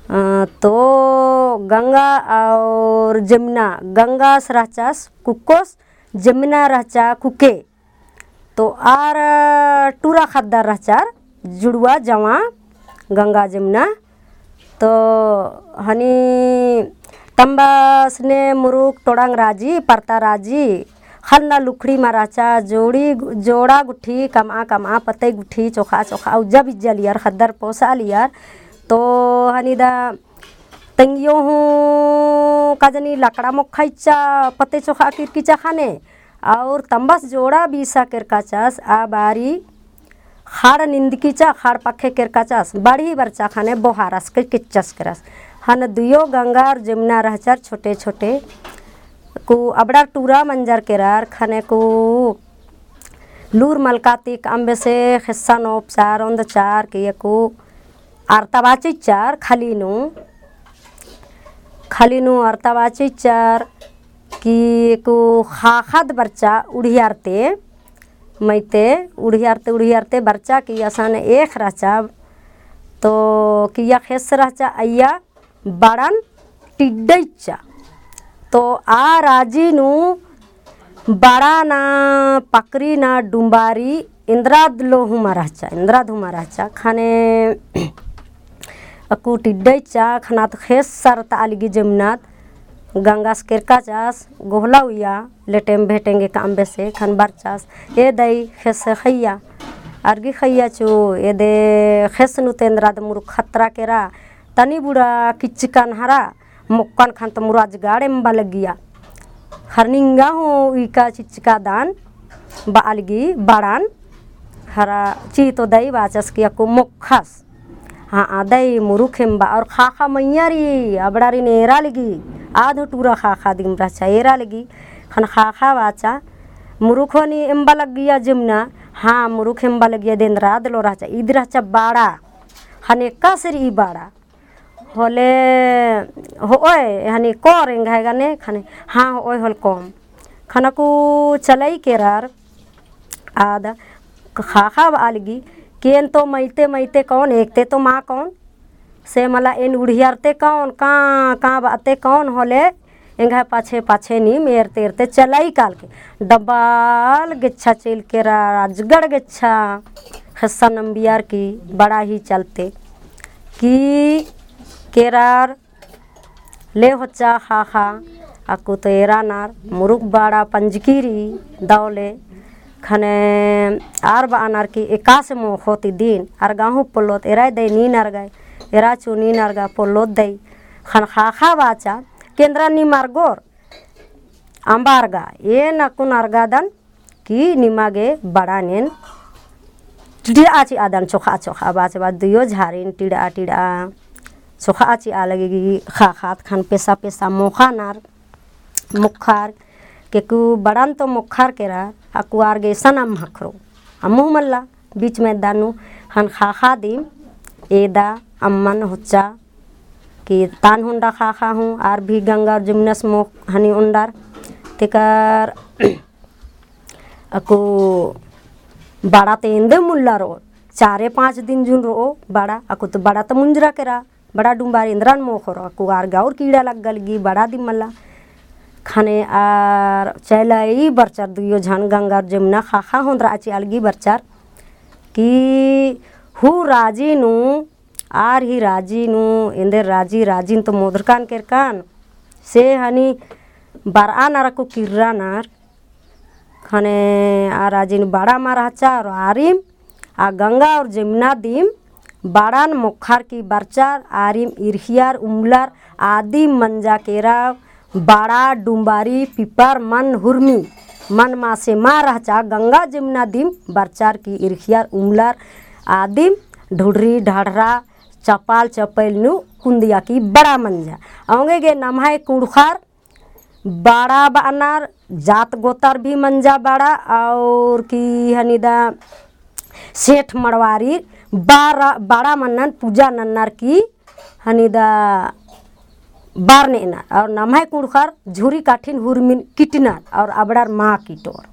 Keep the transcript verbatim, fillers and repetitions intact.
अ, तो गंगा और जमुना, गंगास रहचास कुक्कोस, जमुना रहचा कुके। तो आर टूरा ख़द्दर रहचर जुड़वा जवां गंगा जमुना। तो हनी तम्बस ने मुरुख टोड़ंग राजी, परता राजी, ख़न्ना लुखड़ी मा रहचा, जोड़ी, जोड़ा गुट्ठी, कमआ कमआ, पतई गुट्ठी, चोखा चोखा, उज्जा बिज्जा लियर, ख़द्दर पोसा लियर। तो हनी दा तंगियो हूँ का जनी लकड़ा मोक्खा इच्चा पते चोखा किरकिचा ख़ने, और तम्बस जोड़ा बीसा केरकाचस, आ बारी ख़ाड़ निंदकिचा, ख़ाड़ पक्खे केरकाचस, बढ़ी बरचा ख़ने बोहारस के किच्चस केरस। हन दुयो गंगा और जमुना रहचर छोटे छोटे, कु अबड़ा टूरा मंजर केरर ख़ने कु लूर मलका ती कम बेसे ख़ेस्सा नोपचार ओन्दचार के एकु अरता बाचिचर खली नू, खली नू अरता बाचिचर कि एकु ख़ाख़ाद बरचा उड़ियारते, मइते उड़ियारते, उड़ियारते बरचा कि असन एख़ रहचा, तो किया ख़ेस रहचा अइया बड़न टिड्डइच्चा। तो आ राजी नू बड़ा ना पकरी ना डुम्बारी इन्द्राद लो हुमा रहचा, इन्द्राद हुमा रहचा। ख़ने अक्कु टिड्डइच्चा ख़नात ख़ेस सरता आलगी जमुनात गंगास केरकाचस, गोहला उइया लेटेम भेटेंगे काम बेसे ख़न बरचस, ए दई ख़ेस ख़इया, अरगी ख़इया चु, एदे ख़ेस नू ते इन्द्राद मुरुख ख़तरा केरा, तनी बुड़ा किच्चकन हरा, मोक्कन ख़न तो मुरु अजगड़ एम्बा लगिया। ख़र निंगा हूँ उइका चिच्चका दान बआलगी बड़न। ख़रा ची तो दई बाचस कि अक्कु मोक्खस। हाँ, आ दई मुरुख एम्बा और ख़ाख़ा मइय्याँ रई, अबड़ारिन एरा लगी, आद हूँ टूरा ख़ाख़ा दिम रहचा एरा लगी। ख़न ख़ाख़ा बाचा, मुरुख होनी एम्बा लगिया जमुना, हाँ, मुरुख एम्बा लगिया दे इन्द्राद लो रहचा, ईद रहचा बड़ा, ख़ने एकासे रई बड़ा। होले होओय, हनी कोर एंग्है गने ख़ने, हाँ होओय होल कोम। ख़नकु चलई केरर आद ख़ाख़ा बआलगी, कि एन तो मइते मइते कौन, एकते तो मा कौन, से मला एन उड़ियारते कौन, का, का बअते कौन होले, एंग्है पाछे पाछे नीम एरते एरते चलई कालके डबल गेच्छा चइल केरा, अजगड़ गेच्छा ख़ेस्सा नम्बियर की बड़ा ही चलते की केरर ले होच्चा ख़ाख़ा, अक्कु तो एरानर मुरुख बड़ा पंजकी रई दौले ख़ने आर बअनर की एकासे मोख़ोत इदिन अरगा हूँ पोल्लोत एरा दई नीन अरगा, एरा चु नीन अरगा पोल्लोत दई। ख़न ख़ाख़ा बाचा कि एन्द्रा नीम अरगोर अम्बा अरगा, एन अक्कुन अरगादन कि निमा गे बड़ान एन टिड़आ चिआदन चोख़ा चोख़ा बाच बाच दुयो झारिन टिड़आ टिड़आ चोख़ा चिआ लगी ख़ाख़ात ख़न पेसा पेसा मोख़ानर मोख़र केकु बड़ान तो मोख़र केरा अक्कु आर गे एसन अम्म ख़क्खरो अम्म हूँ मल्ला बीच में दानू ख़न ख़ाख़ा दिम एदा अम्मन होच्चा कि तान होंडा ख़ाख़ा हूँ, आर भी गंगा और जमुनस मोख़ हनी ओंडर। तेकर अक्कु बड़ा ते एन्देम मुल्ला रओ, चारे पाँच दिन जुन रओ बड़ा, अक्कु तो बड़ा तो मुंजरा केरा, बड़ा डुम्बारी एन्द्रन मोख़ोर, अक्कु आर गे और कीड़ा लग्गा लगी, बड़ा दिम मल्ला। ख़ने आर चैलाई बरचर दुयो झन गंगा और जमुना ख़ाख़ा होंदरआ चिआ लगी बरचर कि हूँ राजी नू आर ही राजी नू एन्देर राजी, राजिन तो मोदरकान केरकान, से हनी बरआनर अक्कु किर्रानर, ख़ने आ राजिन बड़ा मा रहचा और आरिम आ गंगा और जमुना दिम बड़ान मोख़र की बरचर, आरिम इरखियर उमलर आदिम मंजा केरा बड़ा डुम्बारी पिपर मन हुरमी मन मासे मा रहचा गंगा जमुना दिम बरचर की इरखियर उमलर आदिम ढुढरी ढाढरा चपाल चपैल नू कुंदिया की बड़ा मंजा। औंगे गे नम्है कुँड़ुख़र बड़ा बअनर जात गोतर भी मंजा बड़ा और की हनी दा सेठ मड़वारी बड़ा, बड़ा मन्नन पूजा नन्नर की हनी दा बार नेअनर और नम्है कुँड़ुख़र झुरी काठिन हुरमिन किटनर और अबड़र मा किटोर।